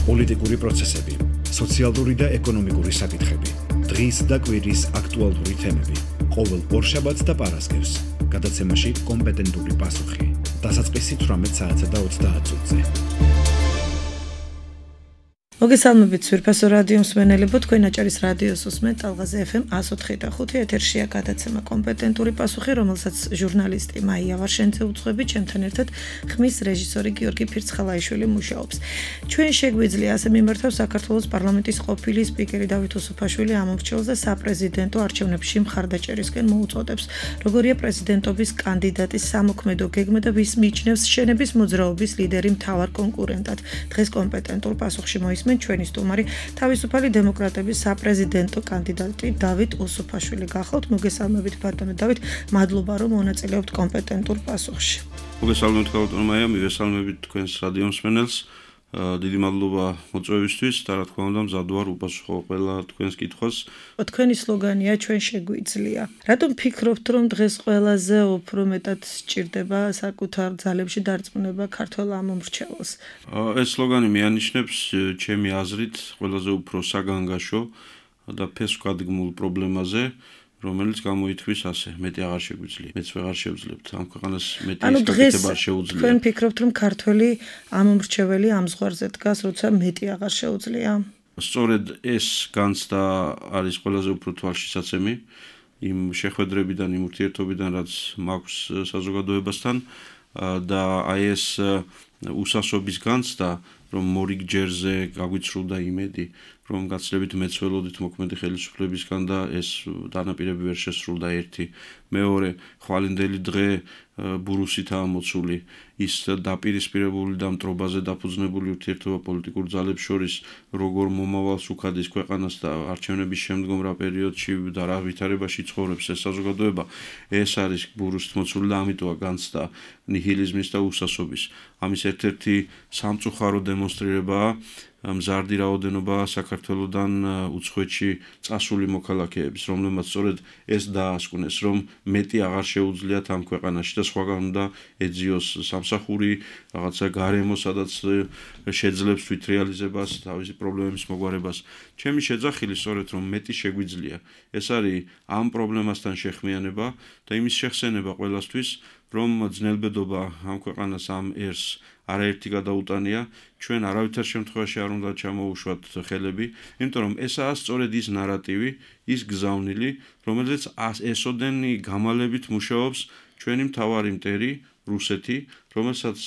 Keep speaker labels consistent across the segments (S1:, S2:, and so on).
S1: პოლიტიკური პროცესები, სოციალური და ეკონომიკური საკითხები, დღის და კვირის აქტუალური თემები, ყოველ ორშაბათს და პარასკევს, გადაცემაში კომპეტენტური პასუხი, დასაწყისი 18 საათსა და 30 წუთზე.
S2: მოგესალმებით სვირფასო რადიო მსმენელებო, თქვენ აჭარის რადიოს უსმენთ ტალღაზე FM 104.5 ეთერშია გადაცემა კომპეტენტური პასუხი, რომელსაც ჟურნალისტი მაია ვარშენცე უძღვებით, ჩემთან ერთად ხმის რეჟისორი გიორგი ფირცხალაიშვილი მუშაობს. ჩვენ შეგვიძლია ასე მიმართავს საქართველოს პარლამენტის ყოფილი სპიკერი დავით უსუფაშვილი ამორჩეულს და საპრეზიდენტო არჩევნებში მხარდაჭერისკენ მოუწოდებს. როგორია პრეზიდენტობის კანდიდატის სამოქმედო გეგმა და ვის მიიჩნევს შენების მოძრაობის ლიდერი მთავარ კონკურენტად. დღეს კომპეტენტურ პასუხში მოისმენთ ჩვენი სტუმარი თავისუფალი დემოკრატების საპრეზიდენტო კანდიდატი დავით უსუფაშვილი. გახავთ, მოგესალმებით ბატონო დავით, მადლობა რომ მონაწილეობთ კომპეტენტურ პასუხში.
S3: მოგესალმებით ბატონო მაია, მივესალმებით თქვენს რადიო მსმენელს. დიდი მადლობა მოწვევისთვის და რა თქმა უნდა მზად ვარ უპასუხო ყველა თქვენს კითხვას.
S2: თქვენი სლოგანია ჩვენ შეგვიძლია. რატომ ფიქრობთ რომ დღეს ყველაზე უფრო მეტად სჭირდება საკუთარ ძალებში დარწმუნება ქართველ ამომრჩეველს?
S3: ეს სლოგანი მიანიშნებს ჩემი აზრით ყველაზე უფრო საგანგაშო და ფესვგადგმულ პრობლემაზე, რომელიც გამოითქმის ასე, მეტი აღარ შეგვიძლია, მეც ვეღარ შევძლებთ, ამ ქვეყანას მეტი ისკაკეთება არ შეუძლია.
S2: თქვენ ფიქრობთ რომ ქართველი ამომრჩეველი ამ ზღვარზე დგას, როცა მეტი აღარ შეუძლია?
S3: სწორედ ეს განცდა არის ყველაზე უფრო თვალშისაცემი იმ შეხვედრებიდან, იმ ურთიერთობიდან, რაც მაქვს საზოგადოებასთან და აი ეს უსასობის განცდა, რომ მორიგჯერზე გაგვიცრუდა იმედი, რომ გაცლებით მეც ველოდით მოქმედი ხელისუფლებისგან და ეს დანაპირები ვერ შესრულდა ერთი. მეორე, ხვალინდელი დღე ბურუსითაა მოცული, ის დაპირისპირებული და მტრობაზე დაფუძნებული ურთიერთობა პოლიტიკურ ძალებს შორის როგორ მომავალს უქადის ქვეყანას და არჩევნების შემდგომ რა პერიოდში და რა ვითარებაში ცხოვრობს ეს საზოგადოება, ეს არის ბურუსით მოცული და ამიტომა განცდა ნიჰილიზმის და უსასობის. ამის ერთ-ერთი სამწუხარო დემონსტრირებაა მზარდი რაოდენობა საქართველოდან უცხოეთში წასული მოქალაქეების, რომლებმაც სწორედ ეს დაასკვნეს, რომ მეტი აღარ შეუძლიათ ამ ქვეყანაში და სხვაგან უნდა ეძიოს სამსახური, რაღაცა გარემო, სადაც შეძლებს თვითრეალიზებას, თავისი პრობლემების მოგვარებას. ჩემი შეძახილი სწორედ რომ მეტი შეგვიძლია. ეს არის ამ პრობლემასთან შეხმიანება და იმის შეხსენება ყველასთვის, რომ ძნელბედობა ამ ქვეყანას ამ ერს არაერთი გადაუტანია, ჩვენ არავითარ შემთხვევაში არ უნდა ჩამოუშვათ ხელები, იმიტომ რომ ესაა სწორედ ის ნარატივი, ის გზავნილი, რომელზეც ესოდენი გამალებით მუშაობს ჩვენი მთავარი მტერი რუსეთი, რომელსაც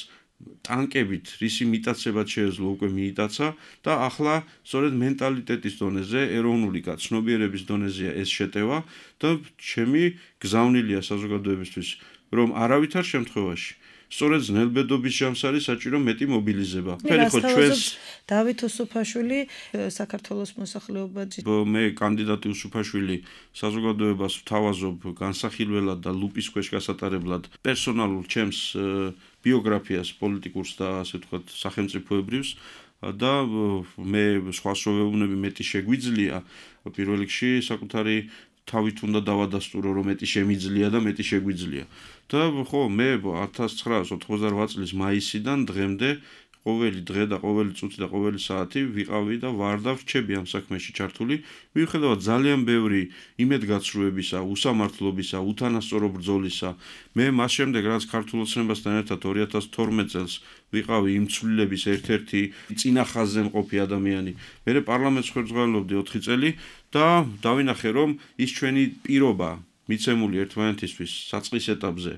S3: ტანკებით რისი მიტაცებად შეეძლო უკვე მიიტაცა და ახლა სწორედ მენტალიტეტის დონეზე, ეროვნული გაცნობიერების დონეზეა ეს შეტევა და ჩემი გზავნილია საზოგადოებისთვის, რომ არავითარ შემთხვევაში სწორედ ძნელბედობის ჯამსარი საჭირო მეტი მობილიზება.
S2: დავით უსუფაშვილი საქართველოს მოსახლეობაზე.
S3: მე კანდიდატი უსუფაშვილი საზოგადოებას ვთავაზობ განსახილველად და ლუპის ქვეშ გასატარებლად პერსონალურ ჩემს ბიოგრაფიას პოლიტიკურს და ასე ვთქვათ სახელმწიფოებრივს და მე სხვა სვევებუნები მეტი შეგვიძლია პირველ რიგში საკუთარი თავით უნდა დავადასტურო რომ მეტი შემიძლია და მეტი შეგვიძლია. და ხო მე 1988 წლის მაისიდან დღემდე ყოველი დღე და ყოველი წუთი და ყოველი საათი ვიყავი და ვარ და ვრჩები ამ საქმეში ჩართული, მიუხედავად ძალიან ბევრი იმედგაცრუებისა, უსამართლობისა, უთანასწორო ბრძოლისა. მე მას შემდეგ რაც ქართულ ოცნებასთან ერთად 2012 წელს ვიყავი იმ ცვლილების ერთ-ერთი წინახაზზე მყოფი ადამიანი. მე პარლამენტს ხელმძღვანელობდი 4 წელი და დავინახე რომ ის ჩვენი პირობა მიცემული ერთმანეთისთვის საწყის ეტაპზე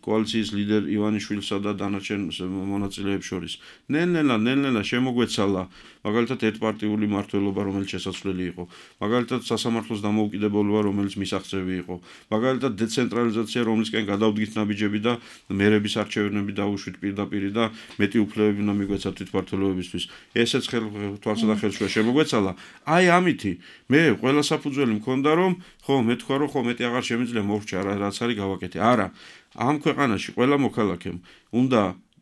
S3: კოალიციის ლიდერ ივანიშვილსა და დანარჩენ მონაწილეებს შორის ნელ-ნელა შემოგვეცალა მაგალითად ერთპარტიული მმართველობა, რომელიც შესაძლებელი იყო, მაგალითად სასამართლოს დამოუკიდებლობა, რომელიც მისაღწევი იყო, მაგალითად დეცენტრალიზაცია, რომლისკენ გადავდგით ნაბიჯები და მერების არჩევნები დაუშვით პირდაპირ და მეტი უფლებები უნდა მიგვეცათ თვითმმართველობებისთვის. ესეც თვალსა და ხელშუა შემოგვეცალა. აი ამითი მე ყველა საფუძველი მქონდა რომ ხო მე თქვა რომ ხო მეტი აღარ შემიძლია მოვრჩა რაც არის გავაკეთე. არა, ამ ქვეყანაში ყველა მოქალაქემ უნდა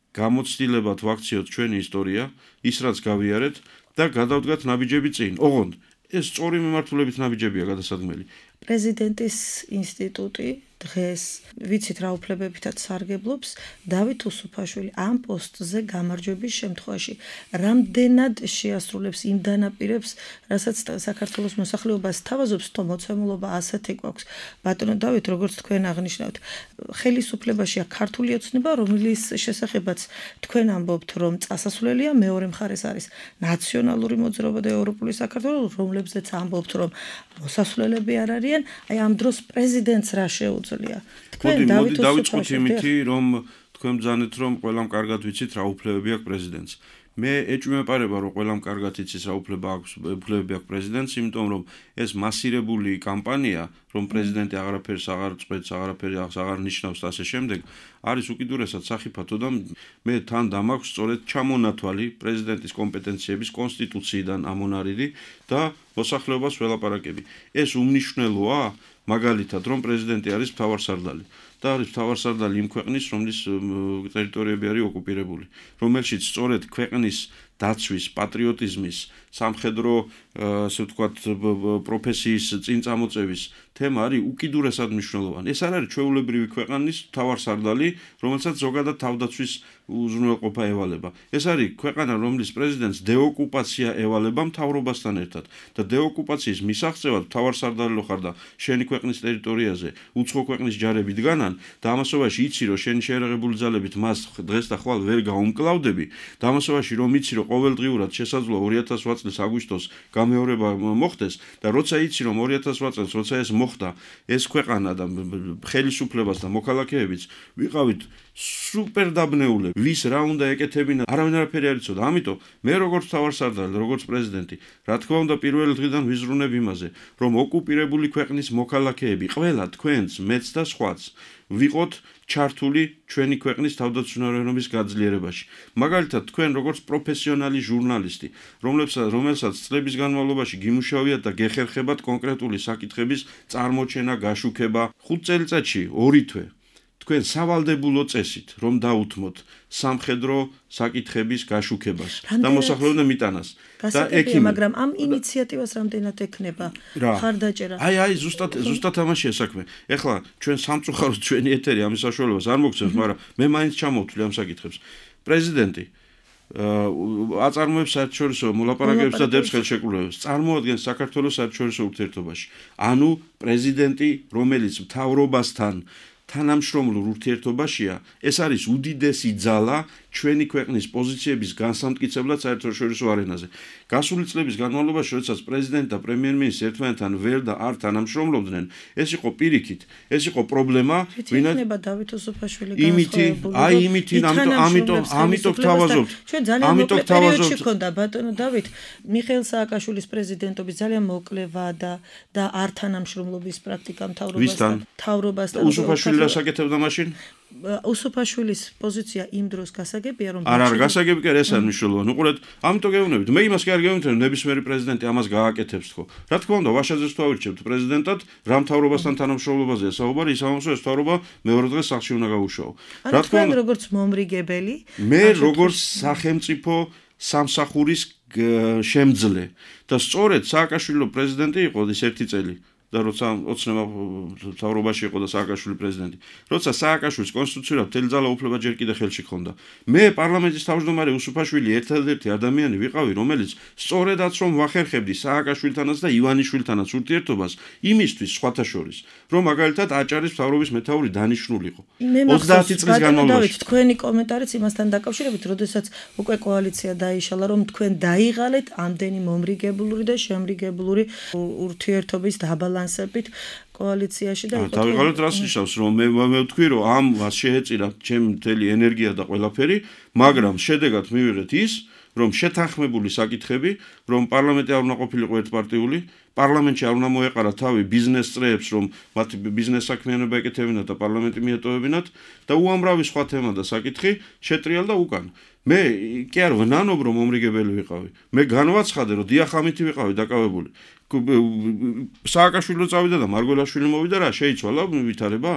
S3: გამოცდილებად ვაქციოთ ჩვენი ისტორია, ის რაც გავიარეთ და გადავდგათ ნაბიჯები წინ. ოღონდ ეს სწორი მიმართულებით ნაბიჯებია გადასადგმელი.
S2: პრეზიდენტის ინსტიტუტი დღეს ვიცით რა უფლებებითაც სარგებლობს დავით უსუფაშვილი ამ პოსტზე გამარჯვების შემთხვევაში რამდენად შეასრულებს იმ დანაპირებს რასაც საქართველოს მოსახლეობას თავაზობს თო მოცემულობა ასეთი გვაქვს ბატონო დავით როგორც თქვენ აღნიშნავთ ხელისუფლებაშია ქართული ოცნება რომლის შესახებაც თქვენ ამბობთ რომ წასასვლელია მეორე მხარეს არის ნაციონალური მოძრაობა და ევროპული საქართველოს რომლებზეც ამბობთ რომ მოსასვლელები არ არიან აი ამ დროს პრეზიდენტს რა შეუძლია თქვენ
S3: დავიწყოთ იმითი რომ თქვენ ბრძანეთ რომ ყველამ კარგად ვიცით რა უფლებები აქვს პრეზიდენტს მე ეჭვმეპარება რომ ყველამ კარგად იცის რა უფლებები აქვს პრეზიდენტს იმიტომ რომ ეს მასირებული კამპანია რომ პრეზიდენტი აღარაფერს აღარ წყვეტს აღარ ნიშნავს და ასე შემდეგ არის უკიდურესად სახიფათო და მე თან დამაქვს სწორედ ჩამონათვალი პრეზიდენტის კომპეტენციების კონსტიტუციიდან ამონარიდი და მოსახლეობას ველაპარაკები ეს უმნიშვნელოა მაგალითად რომ პრეზიდენტი არის მთავარსარდალი და არის მთავარსარდალი იმ ქვეყნის რომლის ტერიტორიები არის ოკუპირებული რომელშიც სწორედ ქვეყნის დაცვის პატრიოტიზმის სამხედრო ასე ვთქვათ პროფესიის წინწამოწევის თემა არის უკიდურესად მნიშვნელოვანი ეს არ არის ჩვეულებრივი ქვეყნის მთავარსარდალი რომელსაც ზოგადად თავდაცვის უზრუნველყოფა ევალება ეს არის ქვეყანა რომლის პრეზიდენტს დეოკუპაცია ევალება მთავრობასთან ერთად და დეოკუპაციის მისაღწევად მთავარსარდალი ხარ და შენი ქვეყნის ტერიტორიაზე უცხო ქვეყნის ჯარები დგანან და ამასობაში იცი რომ შენი შეერაღებული ძალებით მას დღეს და ხვალ ვერ გაუმკლავდები და ამასობაში რომ იცი რომ ყოველდღიურად შესაძლოა 2008 წლის აგვისტოს გამეორება მოხდეს და როცა იცი რომ 2008 წელს როცა ეს მოხდა ეს ქვეყანა და ხელისუფლებას და მოქალაქეებიც ვიყავით სუპერ დაბნეულები ვის რა უნდა ეკეთებინა არავინ არაფერი არ იცოდა ამიტომ მე როგორც მთავარსარდალი როგორც პრეზიდენტი რა თქმა უნდა პირველი დღიდან ვიზრუნებ იმაზე რომ ოკუპირებული ქვეყნის მოქალაქეები ყველა თქვენს მეც და სხვაც ვიყოთ ჩართული ჩვენი ქვეყნის თავდაცვითი გაძლიერებაში მაგალითად თქვენ როგორც პროფესიონალი ჟურნალისტი რომელსაც წლების განმავლობაში გიმუშავიათ და გეხერხებათ კონკრეტული საკითხების წარმოჩენა გაშუქება 5 წელიწადში 2 თვე თქვენ სავალდებულო წესით რომ დაუთმოთ სამხედრო საკითხების გაშუქებას და მოსახლეობამ მიტანას და ექიმი
S2: მაგრამ ამ ინიციატივას რამდენად ექნება ხარდაჭერა
S3: აი ზუსტად ამაშია საქმე ეხლა ჩვენ სამწუხაროდ ჩვენი ეთერი ამის საშუალებას არ მოგცემს მაგრამ მე მაინც ჩამოვთვლი ამ საკითხებს პრეზიდენტი აწარმოებს საერთაშორისო მოლაპარაკებებს და დებს ხელშეკრულებებს წარმოადგენს საქართველოს საერთაშორისო ურთიერთობაში ანუ პრეზიდენტი რომელიც მთავრობასთან თანამშრომლურ ურთიერთობაშია ეს არის უდიდესი ძალა ჩვენი ქვეყნის პოზიციების განსამტკიცებლად საერთაშორისო არენაზე. გასული წლების განმავლობაში, როდესაც პრეზიდენტი და პრემიერ-მინისტრი ერთმანეთთან ვერ და არ თანამშრომლობდნენ, ეს იყო პირიქით, ეს იყო პრობლემა,
S2: ვინაიდან დავით უსუფაშვილი
S3: ამიტომ თავაზობთ.
S2: ჩვენ ძალიან მოკლე პერიოდში ქონდა ბატონო დავით მიხეილ სააკაშვილის პრეზიდენტობის ძალიან მოკლევა და არ თანამშრომლობის პრაქტიკა მთავრობასთან.
S3: უსუფაშვილი რა საკეთებდა მაშინ?
S2: უსუფაშვილის პოზიცია იმ დროს გასაგებია რომ
S3: არ გასაგები კი ეს არ მნიშვნელოვანი. უყურეთ, ამიტომ გეუბნებით. მე იმას კი არ გეუბნებით, რომ ნებისმიერი პრეზიდენტი ამას გააკეთებს თქო. რა თქმა უნდა, ვაშაძეს თუ ავირჩევთ პრეზიდენტად, რა მთავრობასთან თანამშრომლობაზეა საუბარი, ის ამასო ეს მთავრობა მეორე დღეს სახლში უნდა გაუშაო.
S2: რა თქმა უნდა, როგორც მომრიგებელი,
S3: მე როგორც სახელმწიფო სამსახურის შემძლე და სწორედ სააკაშვილო პრეზიდენტი იყო ის ერთი წელი. და როცა ოცნება მთავრობაში იყო და სააკაშვილი პრეზიდენტი. როცა სააკაშვილის კონსტიტუციურად მთელი ძალა უფლება ჯერ კიდე ხელში ჰქონდა. მე პარლამენტის თავმჯდომარე უსუფაშვილი ერთადერთი ადამიანი ვიყავი, რომელიც სწორედაც რომ ვახერხებდი სააკაშვილთანაც და ივანიშვილთანაც ურთიერთობას იმისთვის სხვათა შორის, რომ მაგალითად აჭარის მთავრობის მეთაური დანიშნულიყო. 30 წლის განმავლობაში.
S2: თქვენი კომენტარიც იმასთან დაკავშირებით, როდესაც უკვე კოალიცია დაიშალა, რომ თქვენ დაიღალეთ ამდენი მომრიგებლური და შემრიგებლური ურთიერთობის დაბალანსებით კოალიციაში და იყო
S3: დავიღალეთ რას ნიშნავს რომ მე ვთქვი რომ ამას შეეწირა ჩემი მთელი ენერგია და ყველაფერი მაგრამ შედეგად მივიღეთ ის რომ შეთანხმებული საკითხები რომ პარლამენტი არ უნდა ყოფილიყო ერთპარტიული პარლამენტში არ უნდა მოეყარა თავი ბიზნეს წრეებს რომ მათ ბიზნეს საქმიანობა ეკეთებინათ და პარლამენტი მიეტოვებინათ და უამრავი სხვა თემა და საკითხი შეტრიალდა უკან მე კი არ ვნანობ რომ მომრიგებელი ვიყავი მე განვაცხადე რომ დიახ ამითი ვიყავი დაკავებული სააკაშვილი წავიდა და მარგველაშვილი მოვიდა რა შეიცვალა ვითარება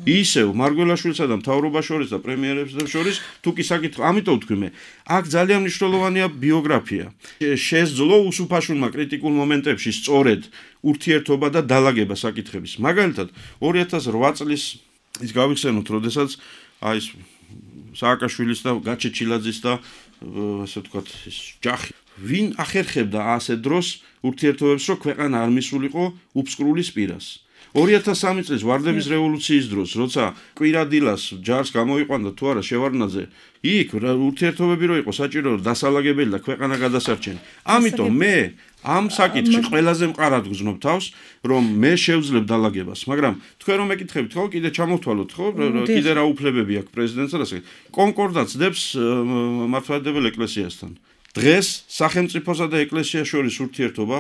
S3: ისევ მარგველაშვილსა და მთავრობას შორის და პრემიერებს შორის თუ კი საკითხი ამიტომ თქვი მე აქ ძალიან მნიშვნელოვანია ბიოგრაფია შესძლო უსუფაშვილმა კრიტიკულ მომენტებში სწორედ ურთიერთობა და დალაგება საკითხების მაგალითად 2008 წლის ის გავიხსენოთ როდესაც აი ეს სააკაშვილის და გაჩეჩილაძის და ასე ვთქვათ ის ჯახი ვინ ახერხებდა ასე დროს ურთიერთობებს რომ ქვეყანა არ მისულიყო უფსკრულის პირას 2003 წლის ვარდების რევოლუციის დროს როცა კვირადილას ჯარს გამოიყვანდა თუ არა შევარდნაძე იქ ურთიერთობები რო იყო საჭირო დასალაგებელი და ქვეყანა გადასარჩენი ამიტომ მე ამ საკითხში ყველაზე მყარად გრძნობ თავს რომ მე შევძლებ დალაგებას მაგრამ თქვენ რომ მეკითხებით ხო კიდე ჩამოვთვალოთ ხო კიდე რა უფლებები აქვს პრეზიდენტს და კონკორდატს დებს მართლმადიდებელ ეკლესიასთან დღეს სახელმწიფოსა და ეკლესიას შორის ურთიერთობა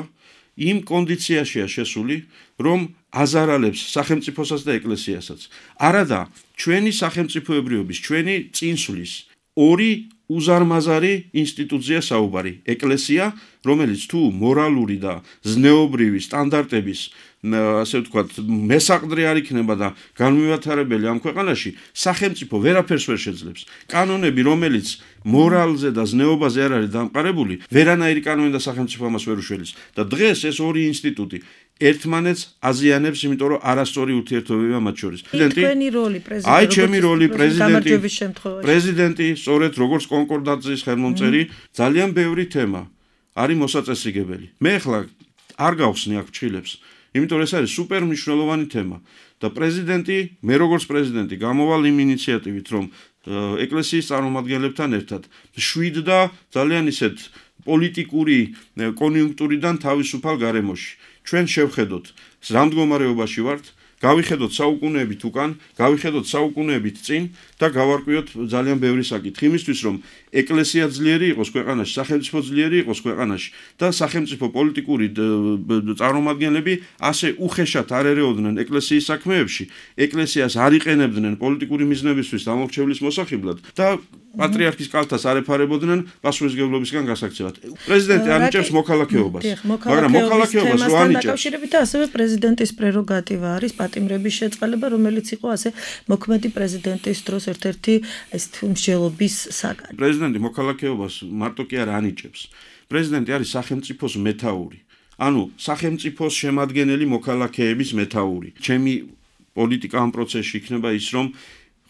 S3: იმ კონდიციაშია შესული რომ აზარალებს სახელმწიფოსაც და ეკლესიასაც არადა ჩვენი სახელმწიფოებრიობის ჩვენი წინსვლის ორი უზარმაზარი ინსტიტუცია საუბარი ეკლესია რომელიც თუ მორალური და ზნეობრივი სტანდარტების ასე ვთქვათ მესაყდრი არ იქნება და განმივათარებელი ამ ქვეყანაში სახელმწიფო ვერაფერს ვერ შეძლებს კანონები რომელიც მორალზე და ზნეობაზე არ არის დამყარებული ვერანაირი კანონი და სახელმწიფო ამას ვერ უშველის და დღეს ეს ორი ინსტიტუტი ერთმანეთს აზიანებს იმიტომ რომ არასწორი ურთიერთობებია მათ შორის
S2: თქვენი როლი პრეზიდენტი
S3: აი ჩემი როლი პრეზიდენტი სწორედ როგორც კონკორდატის ხელმომწერი ძალიან ბევრი თემა არის მოსაწესრიგებელი მე ახლა არ გავხსნი აქ ჩხილებს იმიტომ ეს არის სუპერ მნიშვნელოვანი თემა და პრეზიდენტი მე როგორც პრეზიდენტი გამოვალ იმ ინიციატივით რომ ეკლესიის წარმომადგენლებთან ერთად შვიდდა ძალიან ისეთ პოლიტიკური კონიუნქტურიდან თავისუფალ გარემოში ჩვენ შევხედოთ რა მდგომარეობაში ვართ გავიხედოთ საუკუნეებით უკან გავიხედოთ საუკუნეებით წინ და გავარკვიოთ ძალიან ბევრი საკითხი იმისთვის რომ ეკლესია ძლიერი იყოს ქვეყანაში სახელმწიფო ძლიერი იყოს ქვეყანაში და სახელმწიფო პოლიტიკური წარმომადგენლები ასე უხეშად არ ერეოდნენ ეკლესიის საქმეებში ეკლესიას არ იყენებდნენ პოლიტიკური მიზნებისთვის დამორჩევლის მოსახიბლად და პატრიარქის კალთას არ ეფარებოდნენ პასუხისმგებლობისგან გასაქცევად პრეზიდენტი ანიჭებს მოქალაქეობას მაგრამ მოქალაქეობას რო ანიჭებს
S2: დაკავშირებით ასევე პრეზიდენტის პრეროგატივა არის პატიმრების შეწყალება რომელიც იყო ასე მოქმედი პრეზიდენტის დროს ერთ-ერთი ეს მსჯელობის საგანი
S3: პრეზიდენტი მოქალაქეობას მარტო კი არ ანიჭებს პრეზიდენტი არის სახელმწიფოს მეთაური ანუ სახელმწიფოს შემადგენელი მოქალაქეების მეთაური ჩემი პოლიტიკა ამ პროცესში იქნება ის რომ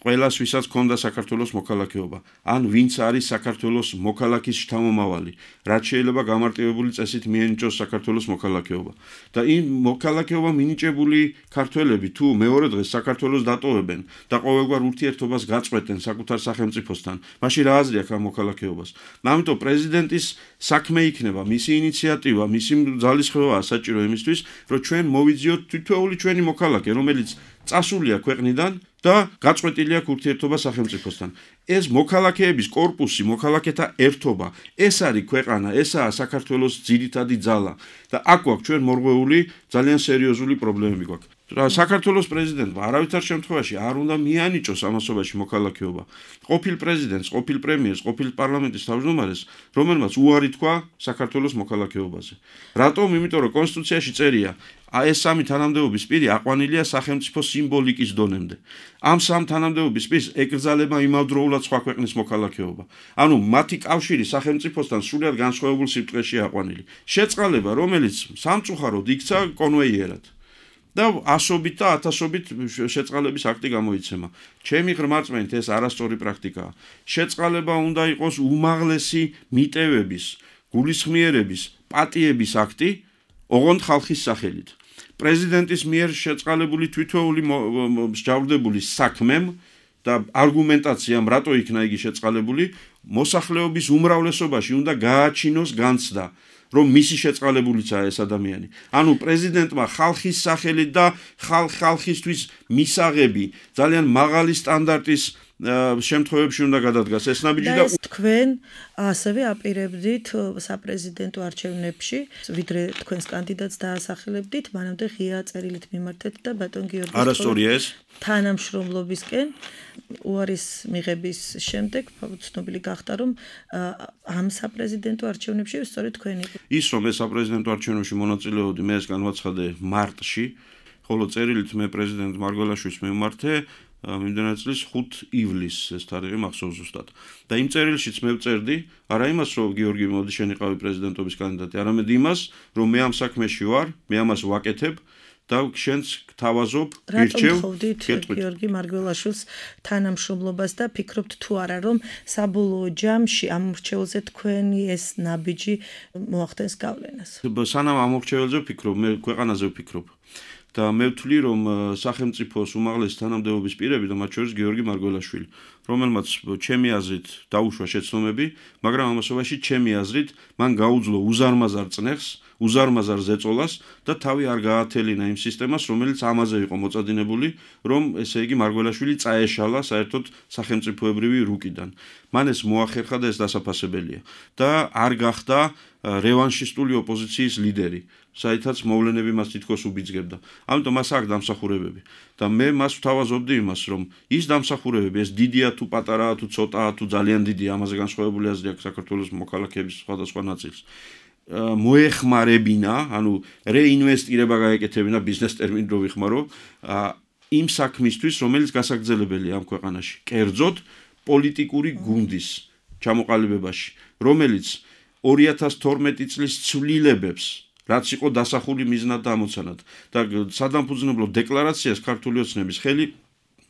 S3: ყველას ვისაც ქონდა საქართველოს მოქალაქეობა ან ვინც არის საქართველოს მოქალაქის შთამომავალი რაც შეიძლება გამარტივებული წესით მიენიჭოს საქართველოს მოქალაქეობა და იმ მოქალაქეობა მინიჭებული ქართველები თუ მეორე დღეს საქართველოს დატოვებენ და ყოველგვარ ურთიერთობას გაწყვეტენ საკუთარ სახელმწიფოსთან მაშინ რა აზრი აქვს ამ მოქალაქეობას ამიტომ პრეზიდენტის საქმე იქნება მისი ინიციატივა მისი ძალისხმევაა საჭირო იმისთვის რომ ჩვენ მოვიძიოთ თითოეული ჩვენი მოქალაქე რომელიც წასულია ქვეყნიდან და გაწყვეტილია ურთიერთობა სახელმწიფოსთან. ეს მოქალაქეების კორპუსი, მოქალაქეთა ერთობა, ეს არის ქვეყანა, ესაა საქართველოს ძირითადი ძალა და აქ გვაქვს ჩვენ მორღვეული ძალიან სერიოზული პრობლემები გვაქვს. საქართველოს პრეზიდენტმა არავითარ შემთხვევაში არ უნდა მიანიჭოს ამასობაში მოქალაქეობა. ყოფილ პრეზიდენტს, ყოფილ პრემიერს, ყოფილ პარლამენტის თავმჯდომარეს, რომელმაც უარი თქვა საქართველოს მოქალაქეობაზე. რატომ? იმიტომ რომ კონსტიტუციაში წერია ეს სამი თანამდებობის პირი აყვანილია სახელმწიფო სიმბოლიკის დონემდე. ამ სამ თანამდებობის პირს ეკრძალება იმავდროულად სხვა ქვეყნის მოქალაქეობა. ანუ მათი კავშირი სახელმწიფოსთან სრულიად განსხვავებულ სიბრტყეში აყვანილი. შეწყალება, რომელიც სამწუხაროდ იქცა კონვეიერად. და ასობით და ათასობით შეწყალების აქტი გამოიცემა. ჩემი ღრმარწმენით ეს არასწორი პრაქტიკაა. შეწყალება უნდა იყოს უმაღლესი მიტევების, გულისხმიერების, პატიების აქტი, ოღონდ ხალხის სახელით. პრეზიდენტის მიერ შეწყალებული თითოეული მსჯავრდებული საქმემ და არგუმენტაციამ რატო იქნა იგი შეწყალებული, მოსახლეობის უმრავლესობაში უნდა გააჩინოს განცდა. რომ მისი შეწყალებულიცაა ეს ადამიანი. ანუ პრეზიდენტმა ხალხის სახელით და ხალხისთვის მისაღები ძალიან მაღალი სტანდარტის შემთხვევებში უნდა გადადგას ეს ნაბიჯი
S2: და ეს თქვენ ასევე აპირებდით საპრეზიდენტო არჩევნებში, ვიდრე თქვენს კანდიდატს დაასახელებდით, მანამდე ღია წერილით მიმართეთ და ბატონ გიორგის
S3: არასწორია ეს
S2: თანამშრომლობისკენ უარის მიღების შემდეგ ცნობილი გახდა, რომ ამ საპრეზიდენტო არჩევნებში სწორედ თქვენი
S3: ის რომ ეს საპრეზიდენტო არჩევნებში მონაწილეობდი, მე ეს განვაცხადე მარტში, ხოლო წერილით მე პრეზიდენტ მარგველაშვილს მივმართე მიმდინარე წლის 5 ივლისს ეს თარიღი მახსოვს ზუსტად. და იმ წერილშიც მე ვწერდი, არა იმას, რომ გიორგი მოდი შენ იყავი პრეზიდენტობის კანდიდატი, არამედ იმას, რომ მე ამ საქმეში ვარ, მე ამას ვაკეთებ და შენც გთავაზობ, გირჩევ.
S2: გიორგი მარგველაშვილს თანამშრომლობას და ფიქრობთ თუ არა, რომ საბოლოო ჯამში ამ მრჩეველზე თქვენი ეს ნაბიჯი მოახდენს გავლენას.
S3: სანამ ამ მრჩეველზე ვფიქრობ, მე ქვეყანაზე ვფიქრობ. და მე ვთვლი, რომ სახელმწიფოს უმაღლესი თანამდებობის პირები და მათ შორის გიორგი მარგველაშვილი, რომელმაც ჩემი აზრით დაუშვა შეცდომები, მაგრამ ამასობაში ჩემი აზრით მან გაუძლო უზარმაზარ წნეხს, უზარმაზარ ზეწოლას და თავი არ გაათელინა იმ სისტემას, რომელიც ამაზე იყო მოწადინებული, რომ ესე იგი მარგველაშვილი წაეშალა საერთოდ სახელმწიფოებრივი რუკიდან. მან ეს მოახერხა და ეს დასაფასებელია და არ გახდა რევანშისტული ოპოზიციის ლიდერი, საითაც მოვლენები მას თითქოს უბიძგებდა. ამიტომ მას აქვს დამსახურებები და მე მას ვთავაზობდი იმას, რომ ის დამსახურებები, ეს დიდია თუ პატარაა თუ ცოტაა თუ ძალიან დიდია, ამაზე განსხვავებული აზრი აქვს საქართველოს მოქალაქეების სხვადასხვა ნაწილს. მოეხმარებინა, ანუ რეინვესტირება გაეკეთებინა ბიზნეს ტერმინით რო ვიხმარო, იმ საქმისთვის, რომელიც გასაგრძელებელია ამ ქვეყანაში. კერძოდ პოლიტიკური გუნდის ჩამოყალიბებაში, რომელიც 2012 წლის ცვლილებებს, რაც იყო დასახული მიზნად და ამოცანად და სადამფუძნებლო დეკლარაციას ქართული ოცნების ხელი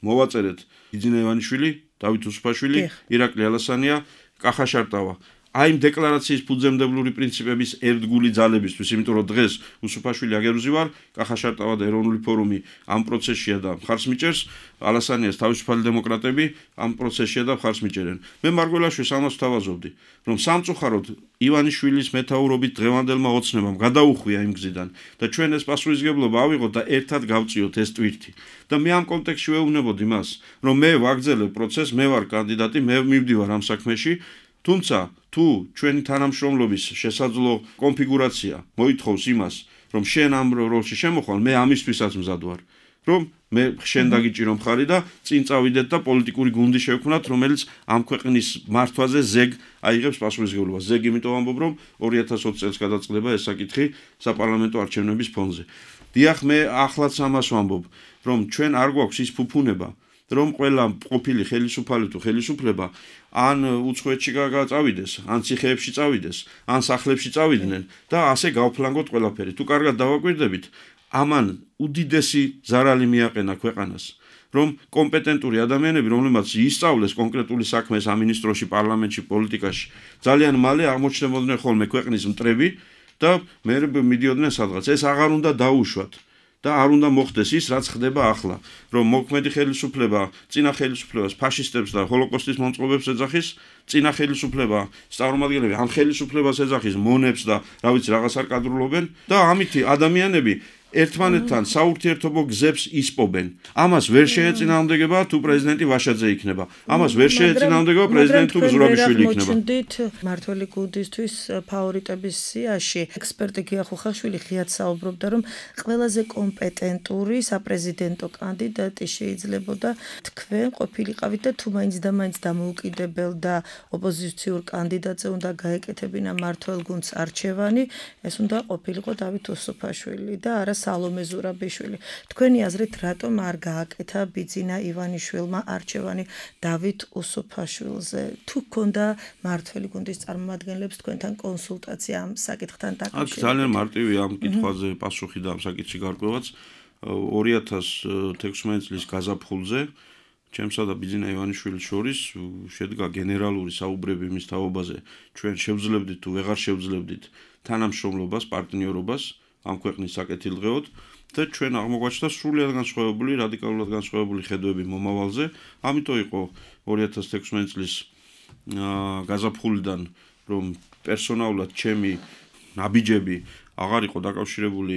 S3: მოვაწერეთ იძინა ივანიშვილი, დავით უსუფაშვილი, ირაკლი ალასანია, კახა შარტავა. აი იმ დეკლარაციის ფუძემდებლური პრინციპების ერთგული ძალებისთვის, იმიტომ რომ დღეს უსუფაშვილი აგერუზი ვარ, კახა შარტავა და ეროვნული ფორუმი ამ პროცესშია და მხარს მიჭერს, ალასანიას თავისუფალი დემოკრატები ამ პროცესშია და მხარს მიჭერენ. მე მარგველაშვილს ამას ვთავაზობდი, რომ სამწუხაროდ ივანიშვილის მეთაურობით დღევანდელმა ოცნებამ გადაუხვია იმ გზიდან და ჩვენ ეს პასუხისმგებლობა ავიღოთ და ერთად გავწიოთ ეს ტვირთი. და მე ამ კონტექსტში ვეუბნებოდი მას, რომ მე ვაგრძელებ პროცესს, მე ვარ კანდიდატი, მე მივდივარ ამ საქმეში, თუმცა თუ ჩვენი თანამშრომლობის შესაძლო კონფიგურაცია მოითხოვს იმას, რომ შენ ამ როლში შემოხვალ, მე ამისთვისაც მზად ვარ, რომ მე შენ დაგიჭირო მხარი და წინ წავიდეთ და პოლიტიკური გუნდი შევქმნათ, რომელიც ამ ქვეყნის მართვაზე ზეგ აიღებს პასუხისმგებლობას. ზეგ იმიტომ ამბობ, რომ 2020 წელს გადაწყდება ეს საკითხი საპარლამენტო არჩევნების ფონზე. დიახ, მე ახლაც ამას ვამბობ, რომ ჩვენ არ გვაქვს ის ფუფუნება, რომ ყველა ყოფილი ხელისუფალი თუ ხელისუფლება ან უცხოეთში წავიდეს, ან ციხეებში წავიდეს, ან სახლებში წავიდნენ და ასე გავფლანგოთ ყველაფერი. თუ კარგად დავაკვირდებით, ამან უდიდესი ზარალი მიაყენა ქვეყანას, რომ კომპეტენტური ადამიანები, რომლებმაც ისწავლეს კონკრეტული საქმე სამინისტროში, პარლამენტში, პოლიტიკაში, ძალიან მალე აღმოჩნდებოდნენ ხოლმე ქვეყნის მტრები და მე მიდიოდნენ სადღაც. ეს აღარ უნდა დაუშვათ. და არ უნდა მოხდეს ის, რაც ხდება ახლა, რომ მოქმედი ხელისუფლება წინა ხელისუფლებას ფაშისტებს და ჰოლოკოსტის მომწყობებს ეძახის, წინა ხელისუფლება წარმომადგენლები ამ ხელისუფლებას ეძახის მონებს და რა ვიცი რაღაც არ კადრულობენ და ამითი ადამიანები ერთმანეთთან საურთიერთობო გზებს ისპობენ. ამას ვერ შეეწინააღმდეგება თუ პრეზიდენტი ვაშაძე იქნება. ამას ვერ შეეწინააღმდეგება პრეზიდენტი თუ ზურაბიშვილი იქნება.
S2: მოჩნდით მართველი გუნდისთვის ფავორიტების სიაში. ექსპერტი გია ხუხაშვილი ღიად საუბრობდა, რომ ყველაზე კომპეტენტური საპრეზიდენტო კანდიდატი შეიძლებოდა თქვენ ყოფილიყავით და თუ მაინც და მაინც დამოუკიდებელ და ოპოზიციურ კანდიდატზე უნდა გაეკეთებინა მართველ გუნდს არჩევანი, ეს უნდა ყოფილიყო დავით უსუფაშვილი და არა სალომე ზურაბიშვილი. თქვენი აზრით, რატომ არ გააკეთა ბიძინა ივანიშვილმა არჩევანი დავით უსუფაშვილზე? თუ გქონდა მართველი გუნდის წარმომადგენლებს თქვენთან კონსულტაცია ამ საკითხთან დაკავშირებით?
S3: აქ ძალიან მარტივია ამ კითხვაზე პასუხი და ამ საკითხში გარკვევაც. 2016 წლის გაზაფხულზე ჩემსა და ბიძინა ივანიშვილის შორის შედგა გენერალური საუბრები მის თაობაზე. ჩვენ შევძლებდით თუ ვეღარ შევძლებდით თანამშრომლობას, პარტნიორობას ამ ქვეყნის საკეთილდღეოდ და ჩვენ აღმოგვაჩნდა სრულიად განსხვავებული, რადიკალურად განსხვავებული ხედვები მომავალზე. ამიტომ იყო 2016 წლის გაზაფხულიდან, რომ პერსონალურად ჩემი ნაბიჯები აღარ იყო დაკავშირებული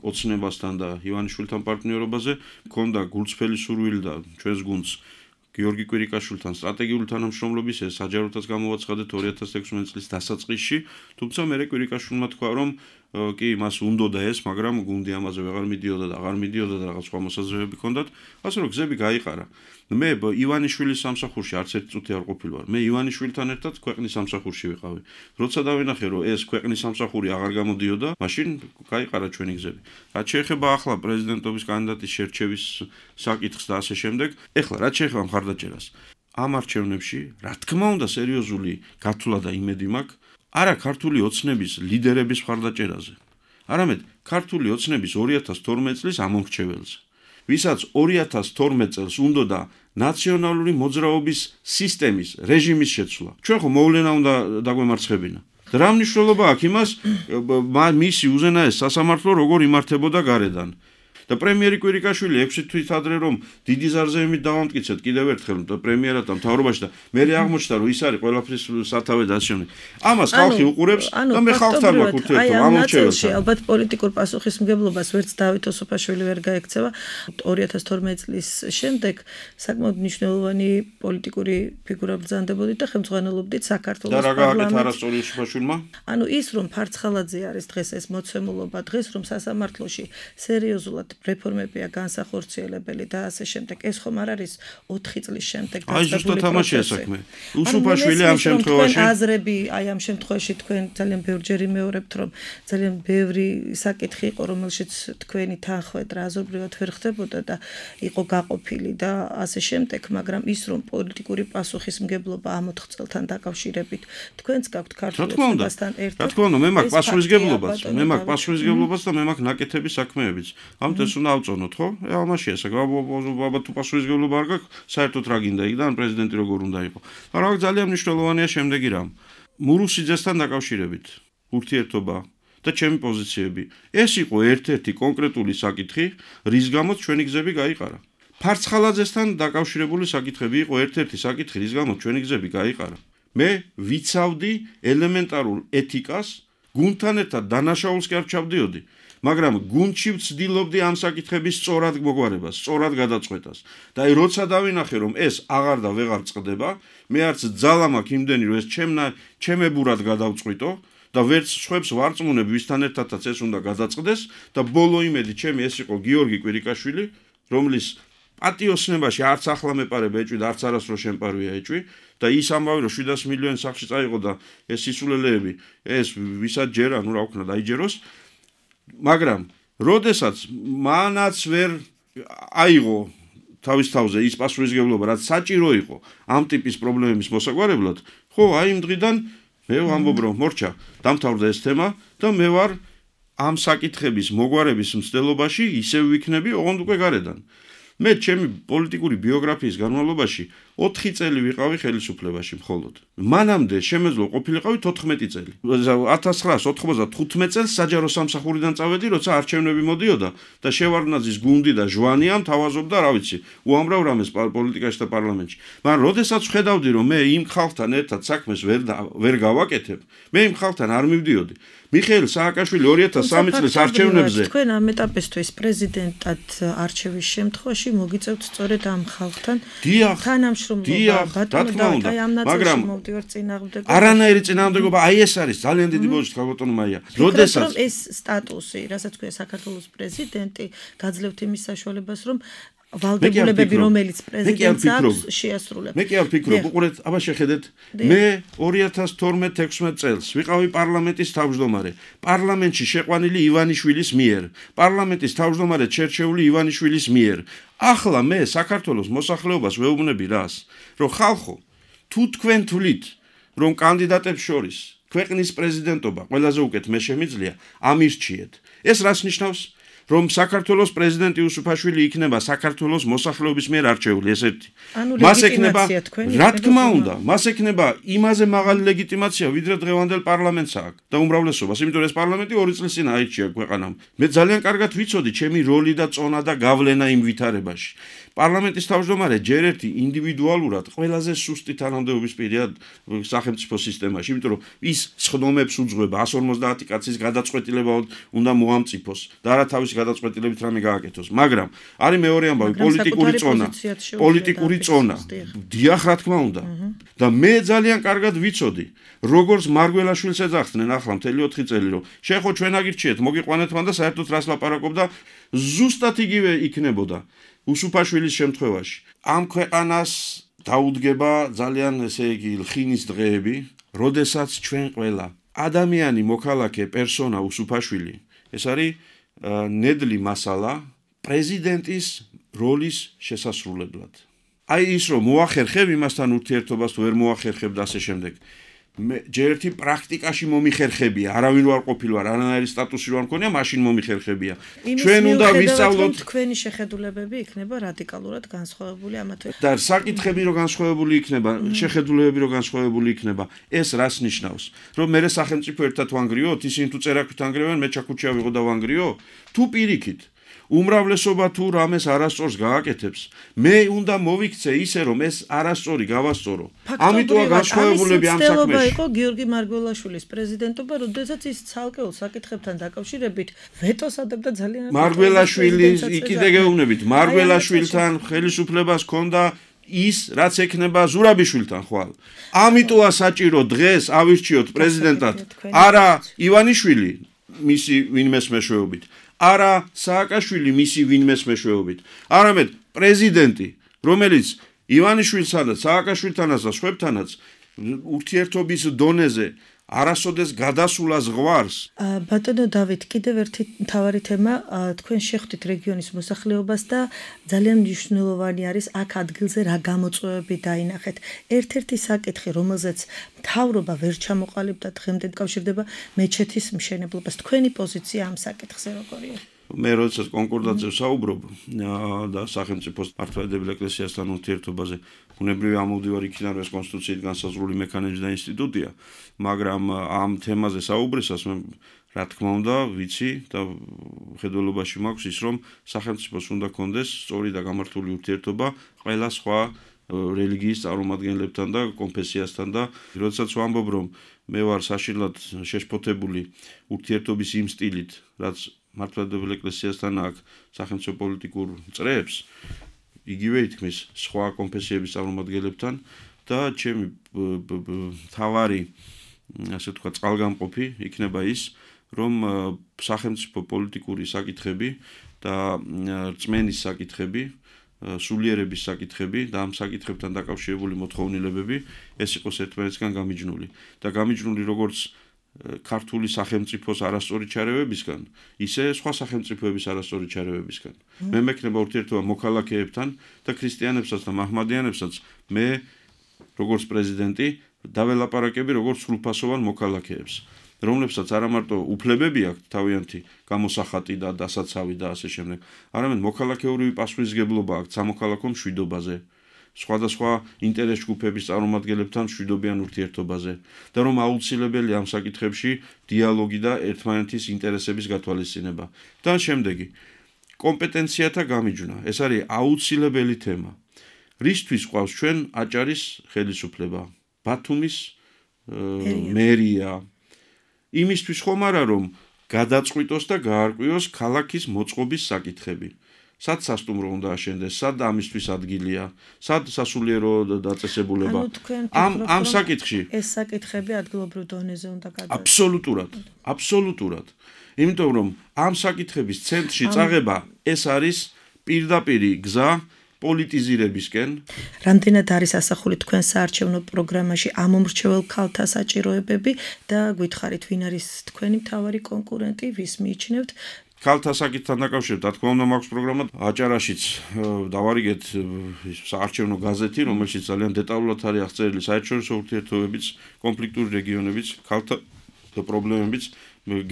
S3: ოცნებასთან და ივანიშვილთან პარტნიორობაზე, მქონდა გულწრფელი სურვილი და ჩვენს გუნდს გიორგი კვირიკაშვილთან სტრატეგიული თანამშრომლობის ეს საჯაროდაც გამოვაცხადეთ 2016 წლის დასაწყისში, თუმცა მე კვირიკაშვილმა თქვა, რომ კი მას უნდოდა ეს, მაგრამ გუნდი ამაზე ვეღარ მიდიოდა და აღარ მიდიოდა და რაღაც სხვა მოსაზრებები ჰქონდათ, ასე რომ გზები გაიყარა. მე ივანიშვილის სამსახურში არც ერთი წუთი არ ყოფილი ვარ. მე ივანიშვილთან ერთად ქვეყნის სამსახურში ვიყავი. როცა დავინახე, რომ ეს ქვეყნის სამსახური აღარ გამოდიოდა, მაშინ გაიყარა ჩვენი გზები. რაც შეეხება ახლა პრეზიდენტობის კანდიდატის შერჩევის საკითხს და ასე შემდეგ, ეხლა რაც შეეხება მხარდაჭერას, ამ არჩევნებში, რა თქმა უნდა, სერიოზული გათვლა და იმედი მაქვს არა ქართული ოცნების ლიდერების მხარდაჭერაზე, არამედ ქართული ოცნების 2012 წლის ამომრჩეველზე, ვისაც 2012 წელს უნდოდა ნაციონალური მოძრაობის სისტემის რეჟიმის შეცვლა. ჩვენ ხო მოვლენა უნდა დაგვემარცხებინა. რა მნიშვნელობა აქვს იმას, მისი უზენაეს სასამართლო როგორ იმართებოდა გარედან. და პრემიერი კვირიკაშვილი 6 თვით ადრე რომ დიდი ზარზეებით დავამტკიცეთ კიდევ ერთხელ პრემიერად და მთავრობაში და მე აღმოჩნდა რომ ის არის ყველაფრის სათავე და ასე შემდეგ. ამას ხალხი უყურებს და მე ხალხთან მაქვს ურთიერთობა ამორჩეველთან.
S2: ალბათ პოლიტიკურ პასუხისმგებლობას ვერც დავით ოსოფაშვილი ვერ გაექცევა. 2012 წლის შემდეგ საკმაოდ მნიშვნელოვანი პოლიტიკური ფიგურა ბრძანდებოდით და ხელმძღვანელობდით საქართველოს
S3: პარლამენტს. და რა გააკეთა არასწორი ოსოფაშვილმა?
S2: ის რომ ფარცხალაძე არის დღეს ეს მოცემულობა, დღეს რომ სასამართლოში სერიოზულად რეფორმებია განსახორციელებელი და ასე შემდეგ. ეს ხომ არ არის 4 წლის შემდეგ
S3: დაწყებული პროცესი. უსუფაშვილი ამ შემთხვევაში
S2: აზრები, ამ შემთხვევაში თქვენ ძალიან ბევრჯერ იმეორებთ, რომ ძალიან ბევრი საკითხი იყო, რომელშიც თქვენი თანხმედრა აზრობრივად ვერ ხდებოდა და იყო გაყოფილი და ასე შემდეგ, მაგრამ ის რომ პოლიტიკური პასუხისმგებლობა ამ 4 წელთან დაკავშირებით თქვენც გაქვთ ქართულ ოცნებასთან ერთად.
S3: რა თქმა უნდა, მე მაქვს პასუხისმგებლობაც, და მე მაქვს ნაკეთების საქმეებიც. ეს უნდა ავწონოთ, ხო? ამაში ესე ალბათ თუ პასუხისმგებლობა არ გაქვს, საერთოდ რა გინდა იქ და ან პრეზიდენტი როგორ უნდა იყოს. მაგრამ ძალიან მნიშვნელოვანია შემდეგი რამ. მურუსიძესთან დაკავშირებით ურთიერთობა და ჩემი პოზიციები. ეს იყო ერთ-ერთი კონკრეტული საკითხი, რის გამოც ჩვენი გზები გაიყარა. ფარცხალაძესთან დაკავშირებული საკითხები იყო ერთ-ერთი საკითხი, რის გამოც ჩვენი გზები გაიყარა. მე ვიცავდი ელემენტარულ ეთიკას, გუნდთან ერთად დანაშაულს კი არ ჩავდიოდი. მაგრამ გუნდში ვცდილობდი ამ საკითხების სწორად მოგვარებას, სწორად გადაწყვეტას. და როცა დავინახე, რომ ეს აღარ და ვეღარ წყდება, მე არც ძალა მაქვს იმდენი, რომ ეს ჩემებურად გადავწყვიტო და ვერც სხვებს ვარწმუნებ, ვისთან ერთადაც ეს უნდა გადაწყდეს და ბოლო იმედი ჩემი ეს იყო გიორგი კვირიკაშვილი, რომლის პატიოსნებაში არც ახლა მეპარება ეჭვი და არც არასდროს შემპარვია ეჭვი და ის ამბავი რომ 700 მილიონი სახში წაიღო და ეს სისულელეები ეს ვისაც ჯერა, რა ვქნა დაიჯეროს. მაგრამ როდესაც მანაც ვერ აიღო თავის თავზე ის პასუხისმგებლობა, რაც საჭირო იყო ამ ტიპის პრობლემების მოსაგვარებლად, ხო, აი იმ დღიდან მე ვამბობ, რომ მორჩა, დამთავრდა ეს თემა და მე ვარ ამ საკითხების მოგვარების მცდელობაში ისევ ვიქნები, ოღონდ უკვე გარედან. მე ჩემი პოლიტიკური ბიოგრაფიის განმავლობაში 4 წელი ვიყავი ხელისუფლებაში მხოლოდ. მანამდე შემეძლო ყოფილიყავი 14 წელი. 1995 წელს საჯარო სამსახურიდან წავედი, როცა არჩევნები მოდიოდა და შევარდნაძის გუნდი და ჟვანია მთავაზობდა, რა ვიცი, უამრავ რამეს პოლიტიკაში და პარლამენტში. მაგრამ როდესაც ხედავდი, რომ მე იმ ხალხთან ერთად საქმეს ვერ გავაკეთებ, მე იმ ხალხთან არ მივდიოდი. მიხეილ სააკაშვილი 2003 წლის არჩევნებზე
S2: თქვენ ამ ეტაპისთვის პრეზიდენტად არჩევის შემთხვევაში მოგიწევთ სწორედ ამ ხალხთან თანამშრომლობა, მაგრამ
S3: არანაირი წინააღმდეგობა, აი ეს არის ძალიან დიდი ბოჭი ბატონო მაია.
S2: როდესაც ეს სტატუსი, რასაც ქვია საქართველოს პრეზიდენტი, გაძლევთ იმის საშუალებას, რომ ვალდებულებები, რომელიც პრეზიდენტს აქვს, შეასრულებს.
S3: მე კი არ ვფიქრობ, უყურეთ, აბა შეხედეთ. მე 2012-16 წელს ვიყავი პარლამენტის თავმჯდომარე. პარლამენტში შეყვანილი ივანიშვილის მიერ. პარლამენტის თავმჯდომარედ შერჩეული ივანიშვილის მიერ. ახლა მე საქართველოს მოსახლეობას ვეუბნები რას? რომ ხალხო, თუ თქვენ თვლით, რომ კანდიდატებს შორის ქვეყნის პრეზიდენტობა ყველაზე უკეთ მე შემიძლია, ამირჩიეთ. ეს რას ნიშნავს? რომ საქართველოს პრეზიდენტი უსუფაშვილი იქნება საქართველოს მოსახლეობის მიერ არჩეული, ეს ერთი. მას ექნება, რა თქმა უნდა, მას ექნება იმაზე მაღალი ლეგიტიმაცია, ვიდრე დღევანდელ პარლამენტს აქვს და უმრავლესობას, იმიტომ რომ ეს პარლამენტი 2 წლის წინ აირჩია ქვეყანამ. მე ძალიან კარგად ვიცოდი ჩემი როლი და წონა და გავლენა იმ ვითარებაში. პარლამენტის თავმჯდომარე ჯერ ერთი ინდივიდუალურად ყველაზე სუსტი თანამდებობის პირია სახელმწიფო სისტემაში, იმიტომ რომ ის სხდომებს უძღვება 150 კაცის გადაწყვეტილება უნდა მოამწიფოს და არა თავის გადაწყვეტილებით რამე გააკეთოს. მაგრამ არის მეორე ამბავი, პოლიტიკური წონა. დიახ, რა თქმა უნდა. და მე ძალიან კარგად ვიცოდი, როგორც მარგველაშვილს ეძახდნენ ახლა მთელი 4 წელი, რომ შეხო ჩვენ აგირჩიეთ, მოგიყვანეთ მან და საერთოდ რას ლაპარაკობდა, ზუსტად იგივე იქნებოდა უსუფაშვილის შემთხვევაში. ამ ქვეყანას დაუდგება ძალიან ესე იგი ლხინის დღეები, როდესაც ჩვენ ყველა ადამიანი მოქალაქე პერსონა უსუფაშვილი ეს არის ნედლი მასალა პრეზიდენტის როლის შესასრულებლად. აი ის რომ მოახერხებ იმასთან ურთიერთობას თუ ვერ მოახერხებ და ასე შემდეგ. მე ჯერ ერთი პრაქტიკაში მომიხერხებია, არავინ არ ყოფილვარ, არანაირი სტატუსი არ მქონია, მაშინ მომიხერხებია. ჩვენ უნდა ვისწავლოთ
S2: თქვენი შეხედულებები იქნება რადიკალურად განსხვავებული ამათ.
S3: და საკითხები რო განსხვავებული იქნება, შეხედულებები რო განსხვავებული იქნება, ეს რას ნიშნავს? რომ მე სახელმწიფო ერთად ვანგრიოთ, ისინი თუ წერაქვით ანგრევენ, მე ჩაქუჩია ვიღო და ვანგრიო? თუ პირიქით უმრავლესობა თუ რამეს არასწორს გააკეთებს, მე უნდა მოვიქცე ისე რომ ეს არასწორი გავასწორო. ამიტომა განსხვავებულები ამ საქმეში.
S2: იყო გიორგი მარგველაშვილის პრეზიდენტობა, როდესაც ის ცალკეულ საკითხებთან დაკავშირებით ვეტოს ადებდა ძალიან.
S3: მარგველაშვილის კიდე გეუბნებით, მარგველაშვილთან ხელისუფლებას ჰქონდა ის, რაც ექნება ზურაბიშვილთან ხვალ. ამიტომა საჭირო დღეს ავირჩიოთ პრეზიდენტად არა ივანიშვილი, მისი ვინმეს მეშვეობით. არა სააკაშვილი მისი ვინმეს მეშვეობით. არამედ პრეზიდენტი, რომელიც ივანიშვილთანაც, სააკაშვილთანაც და სხვებთანაც ურთიერთობის დონეზე არასოდეს გადასულას ღვარს.
S2: ბატონო დავით, კიდევ ერთი მთავარი თემა, თქვენ შეხვდით რეგიონის მოსახლეობას და ძალიან მნიშვნელოვანი არის აქ ადგილზე რა გამოწვევები დაინახეთ. ერთ-ერთი საკითხი, რომელზეც მთავრობა ვერ ჩამოყალიბდა დღემდე დაკავშირდება მეჩეთის მშენებლობას. თქვენი პოზიცია ამ საკითხზე როგორია?
S3: მე როდესაც კონკორდატზე ვსაუბრობ და სახელმწიფოს მართლმადიდებელ ეკლესიასთან ურთიერთობაზე ბუნებრივი ამოვდივარ იქიდან ეს კონსტიტუციით განსაზღვრული მექანიზმი და ინსტიტუტია, მაგრამ ამ თემაზე საუბრისას მე რა თქმა უნდა ვიცი და ხედველობაში მაქვს ის რომ სახელმწიფოს უნდა კონდეს სწორი და გამართული ურთიერთობა ყველა სხვა რელიგიის წარმომადგენლებთან და კონფესიასთან და როდესაც ვამბობ რომ მე ვარ საშინლად შეშფოთებული ურთიერთობის იმ სტილით რაც მართლმადიდებელ ეკლესიასთან აქვს სახელმწიფო პოლიტიკურ წრეებს იგივე ითქმის სხვა კონფესიების წარმომადგენლებთან და ჩემი თავარი ასე თქვა წყალგამყოფი იქნება ის რომ სახელმწიფო პოლიტიკური საკითხები და რწმენის საკითხები სულიერების საკითხები და ამ საკითხებთან დაკავშირებული მოთხოვნილებები ეს იყოს ერთმანეთისგან გამიჯნული და გამიჯნული როგორც ქართული სახელმწიფოს არასწორი ჩარევებისგან, ისე სხვა სახელმწიფოების არასწორი ჩარევებისგან. მე მექნება ურთიერთობა მოქალაქეებთან და ქრისტიანებსაც და მაჰმადიანებსაც მე როგორც პრეზიდენტი დაველაპარაკები როგორც სრულფასოვან მოქალაქეებს, რომლებსაც არა მარტო უფლებები აქვთ თავიანთი გამოსახატი და დასაცავი და ასე შემდეგ, არამედ მოქალაქეური პასუხისმგებლობა აქვთ სამოქალაქო მშვიდობაზე. სხვადასხვა ინტერეს ჯგუფების წარმომადგენლებთან მშვიდობიან ურთიერთობაზე და რომ აუცილებელი ამ საკითხებში დიალოგი და ერთმანეთის ინტერესების გათვალისწინება. და შემდეგი კომპეტენციათა გამიჯვნა. ეს არის აუცილებელი თემა. რისთვის ყავს ჩვენ აჭარის ხელისუფლება? ბათუმის მერია. იმისთვის ხომ არა რომ გადაწყვიტოს და გაარკვიოს ქალაქის მოწყობის საკითხები. სად სასტუმრო უნდა აშენდეს, სად ამისთვის ადგილია, სად სასულიერო დაწესებულება. ამ საკითხში
S2: ეს საკითხები ადგილობრივ დონეზე უნდა გადაადგილოს.
S3: აბსოლუტურად. იმიტომ რომ ამ საკითხების ცენტრში წაღება ეს არის პირდაპირი გზა პოლიტიზირებისკენ.
S2: რამდენად არის ასახული თქვენ საარჩევნო პროგრამაში ამომრჩევალ ქალთა საჭიროებები და გითხარით ვინ არის თქვენი მთავარი კონკურენტი, ვის მიიჩნევთ?
S3: ქალთა საკითხთან დაკავშირებით, რა თქმა უნდა, მაქვს პროგრამა აჭარაშიც დავარიგეთ საარჩევნო გაზეთი, რომელშიც ძალიან დეტალურად არის აღწერილი საერთაშორისო ურთიერთობებიც, კონფლიქტური რეგიონებიც, ქალთა პრობლემებიც,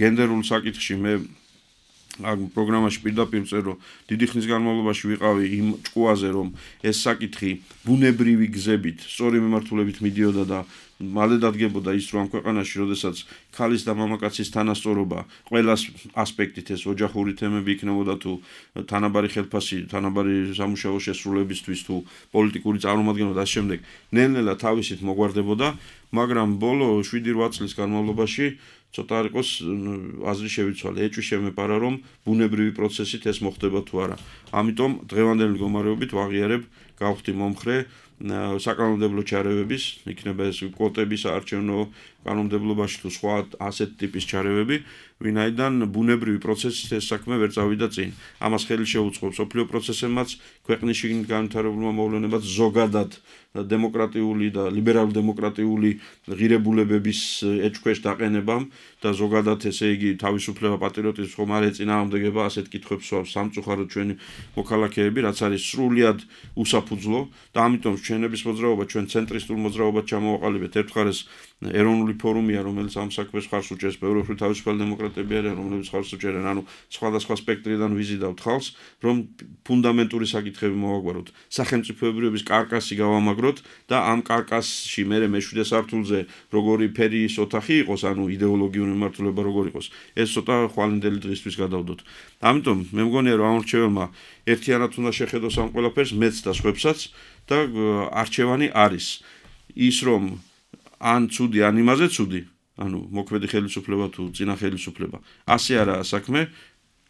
S3: გენდერულ საკითხში მე ამ პროგრამაში პირდაპირ წერო, დიდი ხნის განმავლობაში ვიყავი იმ ჭკუაზე, რომ ეს საკითხი ბუნებრივი გზებით, სწორი მიმართულებით მიდიოდა და მალე დადგებოდა ის რომ ამ ქვეყანაში როდესაც ქალის და მამაკაცის თანასწორობა ყველა ასპექტით ეს ოჯახური თემები იქნებოდა თუ თანაბარი ხელფასი, თანაბარი სამუშაო შესრულებისთვის თუ პოლიტიკური წარმომადგენლობა და ამ შემდეგ ნელ-ნელა თავისით მოგვარდებოდა, მაგრამ ბოლო 7-8 წლის განმავლობაში ცოტა არ იყოს აზრი შევიცვალე, ეჭვი შემეპარა რომ ბუნებრივი პროცესით ეს მოხდება თუ არა. ამიტომ დღევანდელი მდგომარეობით ვაღიარებ გავხდი მომხრე საკანონმდებლო ჩარევების, იქნება ეს კვოტების არჩევნო კანონმდებლობაში თუ სხვა ასეთ ტიპის ჩარევები, ვინაიდან ბუნებრივი პროცესით ეს საქმე ვერ წავიდა წინ. ამას ხელი შეუწყობს მსოფლიო პროცესებმაც, ქვეყნის შიგნით განვითარებულმა მოვლენებაც, ზოგადად დემოკრატიული და ლიბერალ-დემოკრატიული ღირებულებების ეჭქვეშ დაყენებამ და ზოგადად ესე იგი თავისუფლება, პატრიოტიზმი ხომ არ ეწინააღმდეგება ასეთ კითხვებს სამწუხაროდ ჩვენი მოქალაქეები, რაც არის სრულიად უსაფუძვლო და ამიტომ ჩვენების მოძრაობა, ჩვენ ცენტრისტულ მოძრაობად ჩამოვაყალიბეთ ერთხარეს ეროვნული ფორუმია, რომელიც ამ საქმეს ხარს უჭერს, ბევრი თავისუფალი დემოკრატები არიან, რომლებიც ხარს უჭერენ, ანუ სხვადასხვა სპექტრიდან ვიზიდავთ ხალხს, რომ ფუნდამენტური საკითხები მოვაგვაროთ, სახელმწიფოებრიობის კარკასი გავამაგროთ და ამ კარკასში მერე მე-7 სართულზე როგორი ფერის ოთახი იყოს, ანუ იდეოლოგიური მიმართულება როგორ იყოს, ეს ცოტა ხვალინდელი დღისთვის გადავდოთ. ამიტომ მე მგონია რომ ამ რჩევებმა ერთიანად უნდა შეხედოს ამ ყველაფერს, მეც და სხვებსაც და არჩევანი არის ის რომ ან ცუდი, ან იმაზე ცუდი, ანუ მოქმედი ხელისუფლება თუ წინა ხელისუფლება. ასე არაა საქმე,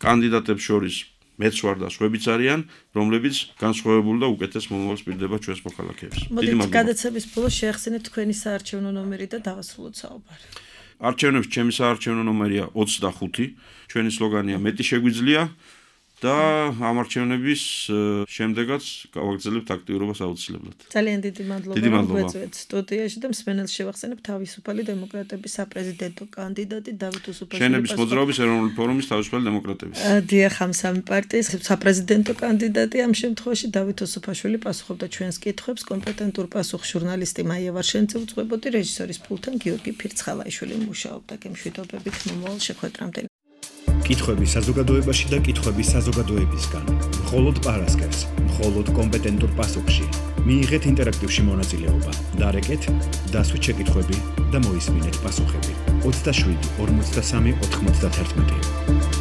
S3: კანდიდატებს შორის მეც ვარ და სხვებიც არიან, რომლებიც განსხვავებულ და უკეთეს მომავალს პირდება ჩვენს მოქალაქეებს.
S2: მოდით გადაცემის ბოლოს შეახსენეთ თქვენი საარჩევნო ნომერი და დავასრულოთ საუბარი.
S3: არჩევნებში ჩემი საარჩევნო ნომერია 25, ჩვენი სლოგანია მეტი შეგვიძლია და ამ არჩევნების შემდეგაც გავაგრძელებთ აქტიურობას აუცილებლად.
S2: ძალიან დიდი მადლობა რომ გვეწვეთ სტუდიაში და მსმენელს შევახსენებ თავისუფალი დემოკრატების საპრეზიდენტო კანდიდატი დავით უსუფაშვილი.
S3: შენების მოძრაობის ეროვნული ფორუმის თავისუფალი დემოკრატების.
S2: დიახ, ამ სამი პარტიის საპრეზიდენტო კანდიდატი ამ შემთხვევაში დავით უსუფაშვილი პასუხობდა ჩვენს კითხვებს, კომპეტენტურ პასუხს ჟურნალისტი მაია ვარშენცე უძღვებოდი, რეჟისორის პულტთან გიორგი ფირცხალაიშვილი მუშაობდა. გემშვიდობებით მომავალ შეხვედრამდე.
S1: კითხვები საზოგადოებაში და კითხვები საზოგადოებისგან. მხოლოდ პარასკევს, მხოლოდ კომპეტენტურ პასუხში. მიიღეთ ინტერაქტივში მონაწილეობა. დარეკეთ, დასვით შეკითხვები და მოისმინეთ პასუხები. 27 43 91